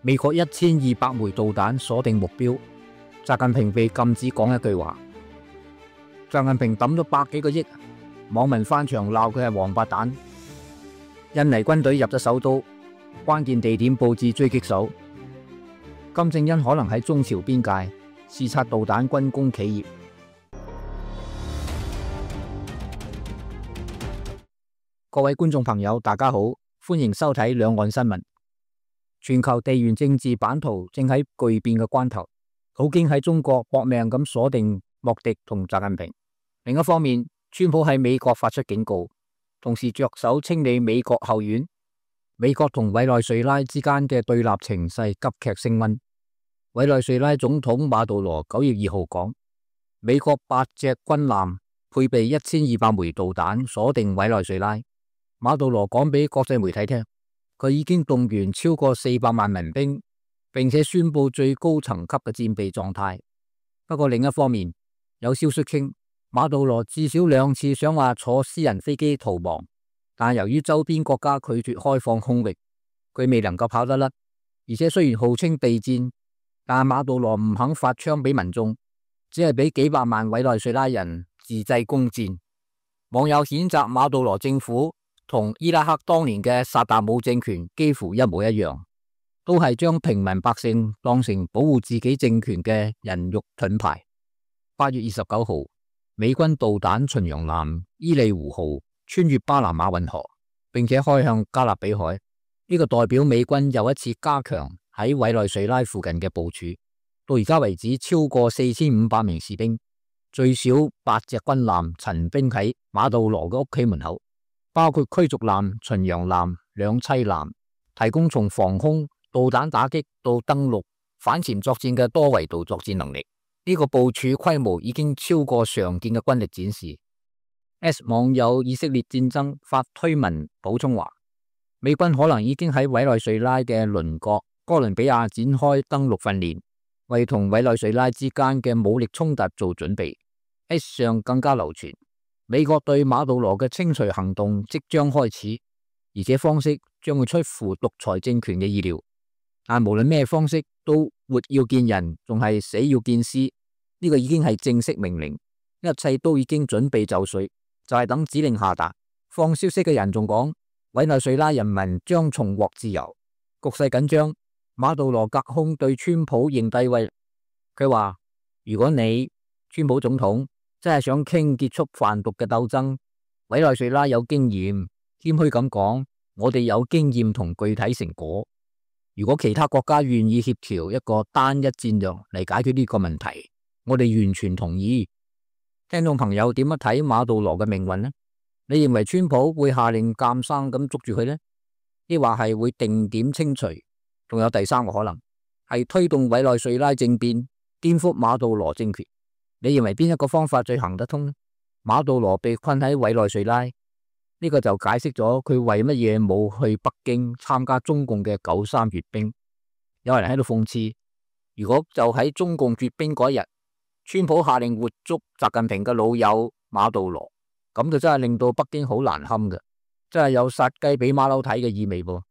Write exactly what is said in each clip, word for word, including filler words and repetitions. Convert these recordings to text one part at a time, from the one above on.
美國一千二百枚導彈鎖定目標，習近平被禁止講一句話。習近平抌咗百幾個億，網民翻牆鬧佢係王八蛋。印尼軍隊入咗首都，關鍵地點佈置狙擊手。金正恩可能喺中朝邊界視察導彈軍工企業。各位觀眾朋友，大家好，歡迎收睇兩岸新聞。全球地緣政治版圖正喺巨變嘅關頭，普京喺中國搏命咁鎖定莫迪同習近平。另一方面，川普喺美國發出警告，同時着手清理美國後院。美國同委內瑞拉之間嘅對立情勢急劇升溫。委內瑞拉總統馬杜羅九月二號講，美國八隻軍艦配備一千二百枚導彈鎖定委內瑞拉。馬杜羅講俾國際媒體聽，佢已經動員超過四百萬民兵，並且宣布最高層級嘅戰備狀態。不過另一方面，有消息稱馬杜羅至少兩次想話坐私人飛機逃亡，但由於周邊國家拒絕開放空域，佢未能夠跑得甩。而且雖然號稱備戰，但馬杜羅唔肯發槍俾民眾，只係俾幾百萬委內瑞拉人自製弓箭。網友譴責馬杜羅政府同伊拉克當年嘅薩達姆政權幾乎一模一樣，都係將平民百姓當成保護自己政權嘅人肉盾牌。八月二十九號，美軍導彈巡洋艦伊利湖號穿越巴拿馬運河，並且開向加勒比海。呢個代表美軍又一次加強喺委內瑞拉附近嘅部署。到而家為止，超過四千五百名士兵，最少八隻軍艦陳兵喺馬杜羅嘅屋企門口，包括驅逐艦、巡洋艦、兩棲艦，提供從防空、導彈打擊到登陸、反潛作戰嘅多維度作戰能力。呢、這個部署規模已經超過常見嘅軍力展示。S 網友以色列戰爭發推文補充話，美軍可能已經喺委內瑞拉嘅鄰國哥倫比亞展開登陸訓練，為同委內瑞拉之間嘅武力衝突做準備。S 上更加流傳，美國對馬杜羅嘅清除行動即將開始，而且方式將會出乎獨裁政權嘅意料。但無論咩方式，都活要見人，仲係死要見屍。呢個已經係正式命令，一切都已經準備就緒，就係等指令下達。放消息嘅人仲講，委內瑞拉人民將重獲自由。局勢緊張，馬杜羅隔空對川普認低威。佢話：如果你川普總統真係想傾結束販毒嘅鬥爭，委內瑞拉有經驗，謙虛咁講，我哋有經驗同具體成果。如果其他國家願意協調一個單一戰略嚟解決呢個問題，我哋完全同意。聽眾朋友點樣睇馬杜羅嘅命運呢？你認為川普會下令監生咁捉住佢呢？抑或係會定點清除？仲有第三個可能係推動委內瑞拉政變，顛覆馬杜羅政權。你認為邊一個方法最行得通呢？馬杜羅被困喺委內瑞拉，呢、這個就解釋咗佢為乜嘢冇去北京參加中共嘅九三閱兵。有人喺度諷刺，如果就喺中共閱兵嗰日，川普下令活捉習近平嘅老友馬杜羅，咁就真係令到北京好難堪嘅，真係有殺雞俾馬騮睇嘅意味噃。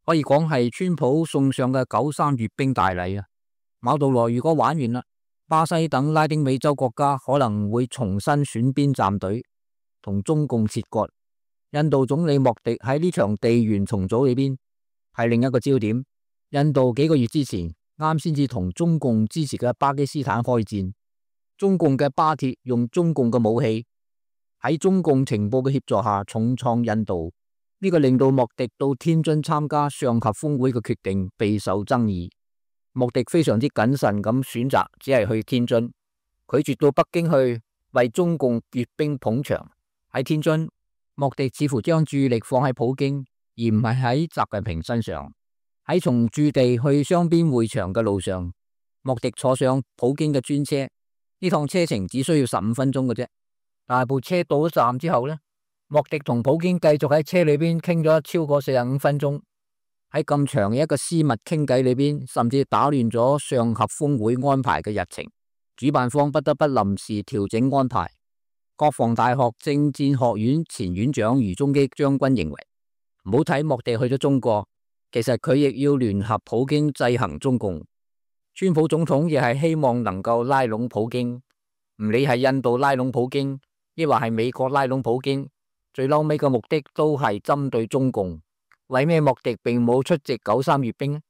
可以講係川普送上嘅九三閱兵大禮啊！馬杜羅如果玩完啦，巴西等拉丁美洲國家可能會重新選邊站隊，同中共切割。印度總理莫迪喺呢場地緣重組裏邊係另一個焦點。印度幾個月之前啱先至同中共支持嘅巴基斯坦開戰，中共嘅巴鐵用中共嘅武器喺中共情報嘅協助下重創印度，呢、這個令到莫迪到天津參加上合峰會嘅決定備受爭議。莫迪非常之謹慎咁選擇只係去天津，拒絕到北京去為中共閱兵捧場。喺天津，莫迪似乎將注意力放喺普京，而唔係喺習近平身上。喺從駐地去雙邊會場嘅路上，莫迪坐上普京嘅專車。呢趟車程只需要十五分鐘嘅啫，但係部車到咗站之後呢，莫迪同普京繼續喺車裏邊傾咗超過四十五分鐘。喺咁長嘅一個私密傾偈裏邊，甚至打亂咗上合峰會安排嘅日程，主辦方不得不臨時調整安排。國防大學政戰學院前院長余中基將軍認為，唔好睇莫迪去咗中國，其實佢亦要聯合普京制衡中共。川普總統亦係希望能夠拉攏普京，唔理係印度拉攏普京，抑或係美國拉攏普京，最嬲尾嘅目的都係針對中共。為咩莫迪並冇出席九三閱兵？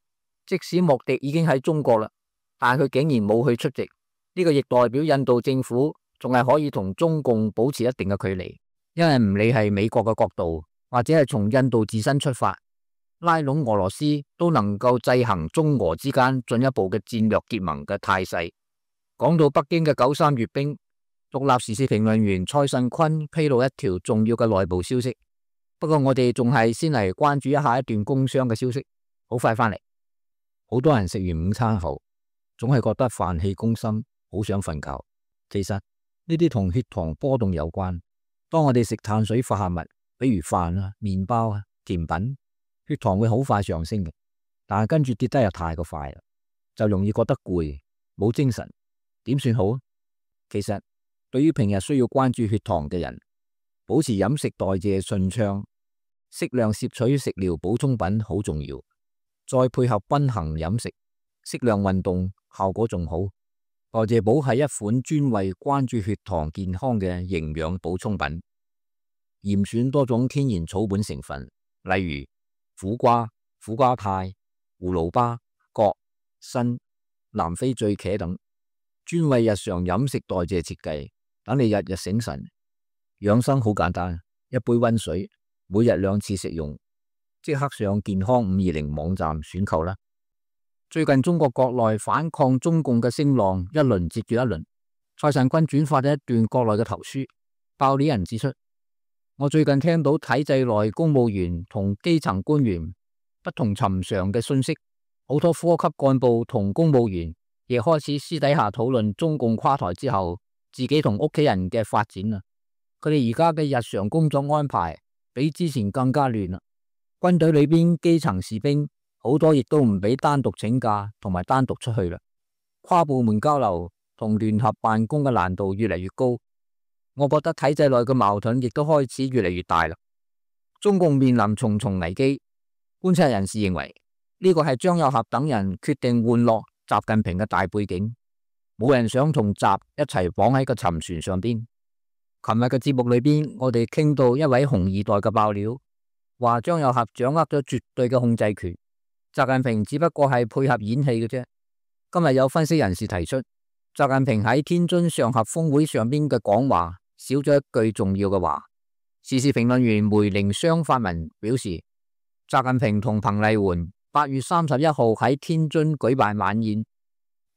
即使莫迪已經喺中國啦，但佢竟然冇去出席，呢個亦代表印度政府仲係可以同中共保持一定嘅距離，因為唔理係美國嘅角度，或者係從印度自身出發，拉攏俄羅斯都能夠制衡中俄之間進一步嘅戰略結盟嘅態勢。講到北京嘅九三閱兵，獨立時事評論員蔡慎坤披露一條重要嘅內部消息。不過我哋仲係先嚟關注一下一段工商嘅消息，好快翻嚟。好多人食完午餐後，總係覺得飯氣攻心，好想瞓覺。其實呢啲同血糖波動有關。當我哋食碳水化合物，比如飯啊、麵包啊、甜品，血糖會好快上升嘅，但係跟住跌得又太過快啦，就容易覺得攰，冇精神。點算好啊？其實對於平日需要關注血糖嘅人，保持飲食代謝順暢，適量攝取食療補充品好重要。再配合均衡飲食，適量運動，效果仲好。代謝寶係一款專為關注血糖健康嘅營養補充品，嚴選多種天然草本成分，例如苦瓜、苦瓜肽、葫蘆巴、葛、參、南非醉茄等，專為日常飲食代謝設計，等你日日醒神。養生好簡單，一杯溫水，每日兩次食用。即刻上健康五二零網站選購啦！最近中國國內反抗中共嘅聲浪一輪接住一輪，蔡慎坤轉發咗一段國內嘅投書。爆料人指出，我最近聽到體制內公務員同基層官員不同尋常嘅信息，好多科級幹部同公務員亦開始私底下討論中共垮台之後自己同屋企人嘅發展啦。佢哋而家嘅日常工作安排比之前更加亂啦。軍隊裏邊基層士兵好多亦都唔俾單獨請假同埋單獨出去啦。跨部門交流同聯合辦公嘅難度越嚟越高，我覺得體制內嘅矛盾亦都開始越嚟越大啦。中共面臨重重危機，觀察人士認為呢個係張又俠等人決定玩落習近平嘅大背景，冇人想同習一齊綁喺個沉船上邊。琴日嘅節目裏邊，我哋傾到一位紅二代嘅爆料，話張又俠掌握咗絕對嘅控制權，習近平只不過係配合演戲嘅啫。今日有分析人士提出，習近平喺天津上合峰會上邊嘅講話少咗一句重要嘅話。時事評論員梅玲雙發文表示，習近平同彭麗媛八月三十一號喺天津舉辦晚宴，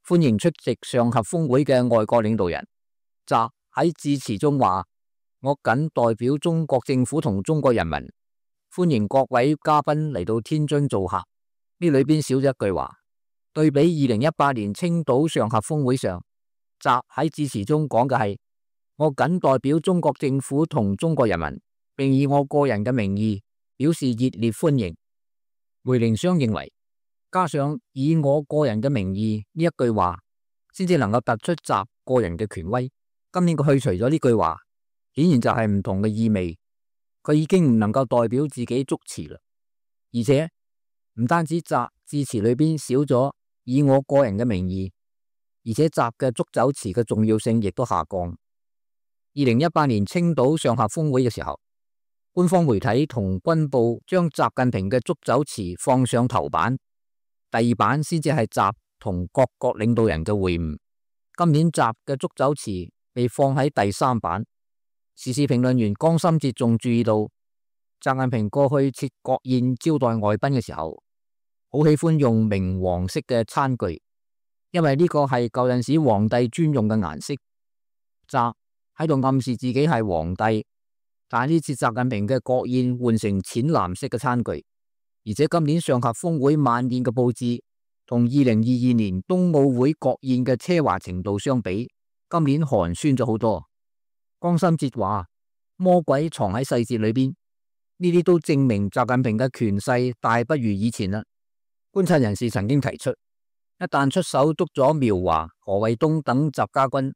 歡迎出席上合峰會嘅外國領導人。習喺致辭中話：我謹代表中國政府同中國人民，歡迎各位嘉賓嚟到天津做客。呢裏邊少咗一句話。對比二零一八年青島上合峰會上，習喺致辭中講嘅係：我謹代表中國政府同中國人民，並以我個人嘅名義表示熱烈歡迎。梅玲雙認為，加上以我個人嘅名義呢一句話，先至能夠突出習個人嘅權威。今年佢去除咗呢句話，顯然就係唔同嘅意味。佢已經唔能夠代表自己祝詞啦，而且唔單止習致辭裏邊少咗以我個人嘅名義，而且習嘅祝酒詞嘅重要性亦都下降。二零一八年青島上合峰會嘅時候，官方媒體同軍部將習近平嘅祝酒詞放上頭版，第二版先至係習同各國領導人嘅會晤。今年習嘅祝酒詞被放喺第三版。時事評論員江心哲仲注意到，習近平過去設國宴招待外賓嘅時候，好喜歡用明黃色嘅餐具，因為呢個係舊陣時皇帝專用嘅顏色。習喺度暗示自己係皇帝，但係呢次習近平嘅國宴換成淺藍色嘅餐具，而且今年上合峰會晚宴嘅佈置同二零二二年冬奧會國宴嘅奢華程度相比，今年寒酸咗好多。江心哲話：魔鬼藏喺細節裏邊，呢啲都證明習近平嘅權勢大不如以前啦。觀察人士曾經提出，一旦出手捉咗苗華、何衛東等習家軍，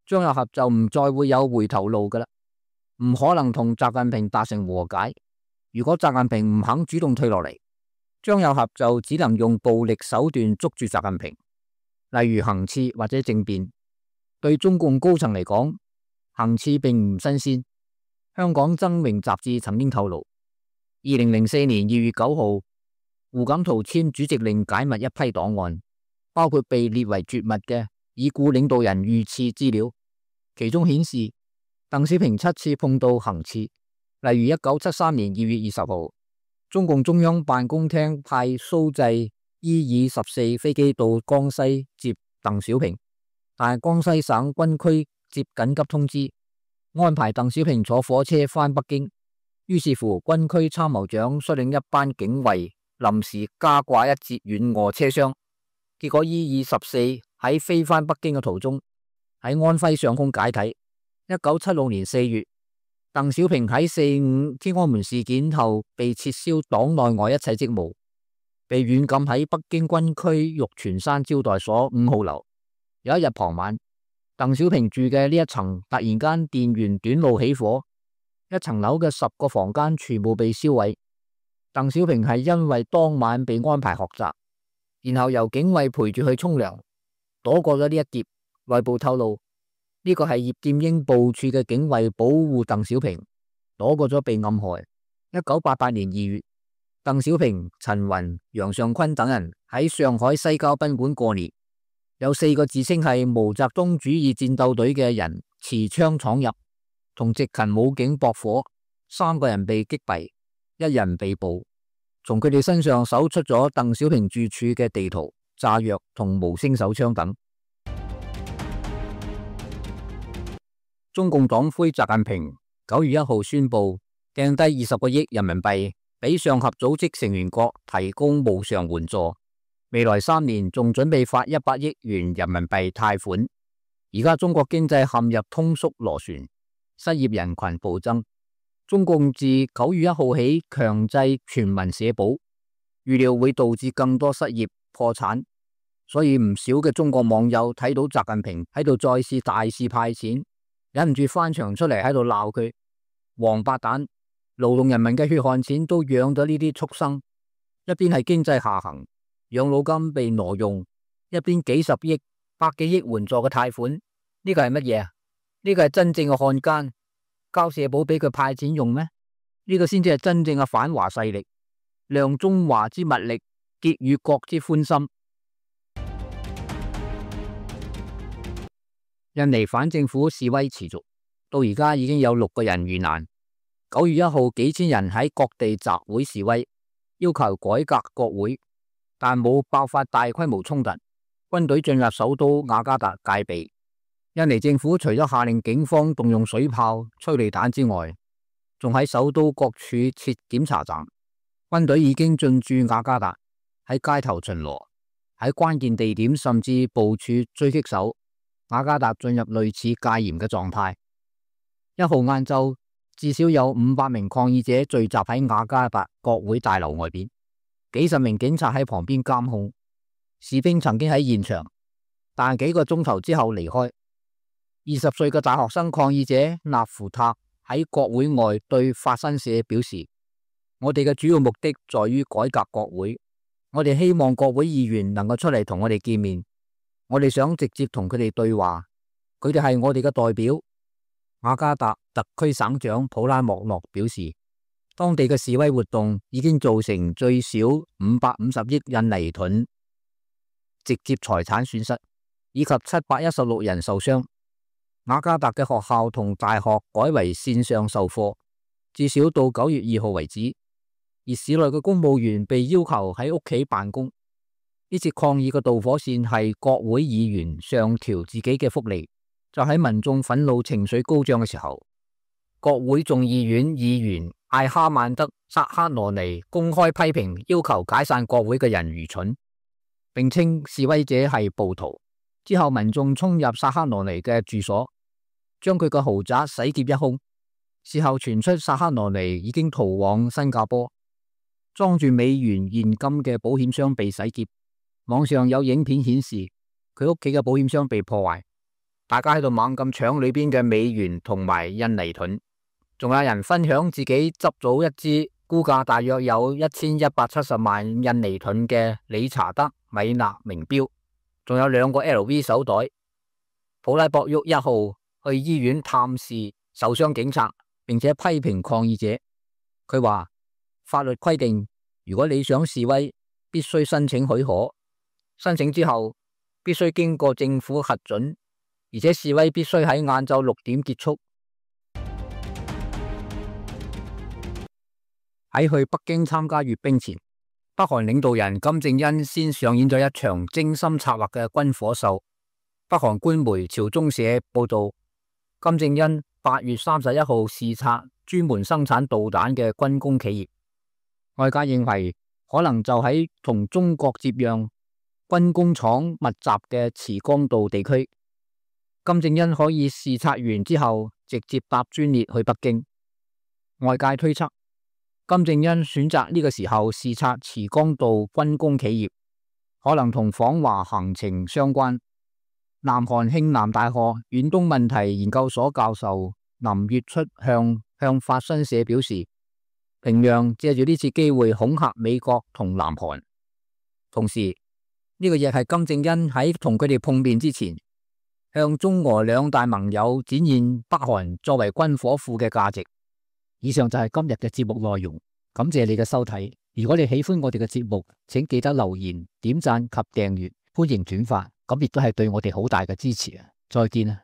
張又俠就唔再會有回頭路噶啦，唔可能同習近平達成和解。如果習近平唔肯主動退落嚟，張又俠就只能用暴力手段捉住習近平，例如行刺或者政變。對中共高層嚟講，行刺並唔新鮮。香港爭榮雜誌曾經透露，二零零四年二月九號，胡錦濤簽主席令解密一批檔案，包括被列為絕密嘅已故領導人遇刺資料，其中顯示鄧小平七次碰到行刺。例如一九七三年二月二十號，中共中央辦公廳派蘇製 E 二十四飛機到江西接鄧小平，但係江西省軍區接緊急通知，安排鄧小平坐火車返北京。於是乎，軍區參謀長率領一班警衛臨時加掛一節遠臥車廂，結果 E 二十四喺飛返北京嘅途中喺安徽上空解體。一九七六年四月，鄧小平喺四五天安門事件後被撤銷黨內外一切職務，被軟禁喺北京軍區玉泉山招待所五號樓。有一日傍晚，鄧小平住嘅呢一層突然間電源短路起火，一層樓嘅十個房間全部被燒毀。鄧小平係因為當晚被安排學習，然後由警衛陪住去沖涼，躲過咗呢一劫。內部透露，呢個係葉劍英部署嘅警衛保護鄧小平，躲過咗被暗害。一九八八年二月，鄧小平、陳雲、楊尚昆等人喺上海西郊賓館過年，有四個自稱係毛澤東主義戰鬥隊嘅人持槍闖入，同執勤武警駁火，三個人被擊斃，一人被捕。從佢哋身上搜出咗鄧小平住處嘅地圖、炸藥同無聲手槍等。中共黨魁習近平九月一號宣布掟低二十個億人民幣俾上合組織成員國提供無償援助，未來三年仲準備發一百億元人民幣貸款。而家中國經濟陷入通縮螺旋，失業人群暴增。中共自九月一號起強制全民社保，預料會導致更多失業破產，所以唔少嘅中國網友睇到習近平喺度再次大肆派錢，忍唔住翻牆出嚟喺度鬧佢王八蛋，勞動人民嘅血汗錢都養咗呢啲畜生。一邊係經濟下行，養老金被挪用，一邊幾十億、百幾億援助嘅貸款，呢個係乜嘢啊？呢個係真正嘅漢奸，交社保俾佢派錢用咩？呢個先至係真正嘅反華勢力，量中華之物力，結與國之歡心。印尼反政府示威持續，到而家已經有六個人遇難。九月一號，幾千人喺各地集會示威，要求改革國會，但冇爆發大規模衝突。軍隊進入首都雅加達戒備。印尼政府除咗下令警方動用水炮、催淚彈之外，仲喺首都各處設檢查站。軍隊已經進駐雅加達，喺街頭巡邏，喺關鍵地點甚至部署狙擊手。雅加達進入類似戒嚴嘅狀態。一號晏晝，至少有五百名抗議者聚集喺雅加達國會大樓外邊，幾十名警察喺旁邊監控。士兵曾經喺現場，但幾個鐘頭之後離開。二十歲嘅大學生抗議者納芙塔喺國會外對法新社表示：我哋嘅主要目的在於改革國會，我哋希望國會議員能夠出嚟同我哋見面。我哋想直接同佢哋對話，佢哋係我哋嘅代表。雅加達特區省長普拉莫諾表示，當地嘅示威活動已經造成最少五百五十億印尼盾直接財產損失，以及七百一十六人受傷。雅加達嘅學校同大學改為線上授課，至少到九月二號為止。而市內嘅公務員被要求喺屋企辦公。呢次抗議嘅導火線係國會議員上調自己嘅福利，就喺民眾憤怒情緒高漲嘅時候，國會眾議院議員艾哈曼德薩克羅尼公開批評要求解散國會嘅人愚蠢，並稱示威者係暴徒。之後民眾衝入薩克羅尼嘅住所，將佢嘅豪宅洗劫一空。事後傳出薩克羅尼已經逃往新加坡，裝住美元現金嘅保險箱被洗劫。網上有影片顯示佢屋企嘅保險箱被破壞，大家喺度猛咁搶裏邊嘅美元同埋印尼盾，仲有人分享自己執到一支估價大約有一千一百七十萬印尼盾嘅理查德米納名錶，仲有兩個 L V 手袋。普拉博沃一號去醫院探視受傷警察，並且批評抗議者。佢話法律規定，如果你想示威，必須申請許可，申請之後必須經過政府核准，而且示威必須喺晏晝六點結束。喺去北京參加閱兵前，北韓領導人金正恩先上演咗一場精心策劃嘅軍火秀。北韓官媒朝中社報道，金正恩八月三十一號視察專門生產導彈嘅軍工企業。外界認為可能就喺同中國接壤、軍工廠密集嘅慈江道地區。金正恩可以視察完之後直接搭專列去北京。外界推測，金正恩選擇呢個時候視察慈江道軍工企業，可能同訪華行程相關。南韓慶南大學遠東問題研究所教授林月出向向法新社表示，平壤借住呢次機會恐嚇美國同南韓，同時呢個亦係金正恩喺同佢哋碰面之前，向中俄兩大盟友展現北韓作為軍火庫嘅價值。以上就係今日嘅節目內容，感謝你嘅收睇。如果你喜歡我哋嘅節目，請記得留言、點讚及訂閱，歡迎轉發，咁亦都係對我哋好大嘅支持啊！再見啊！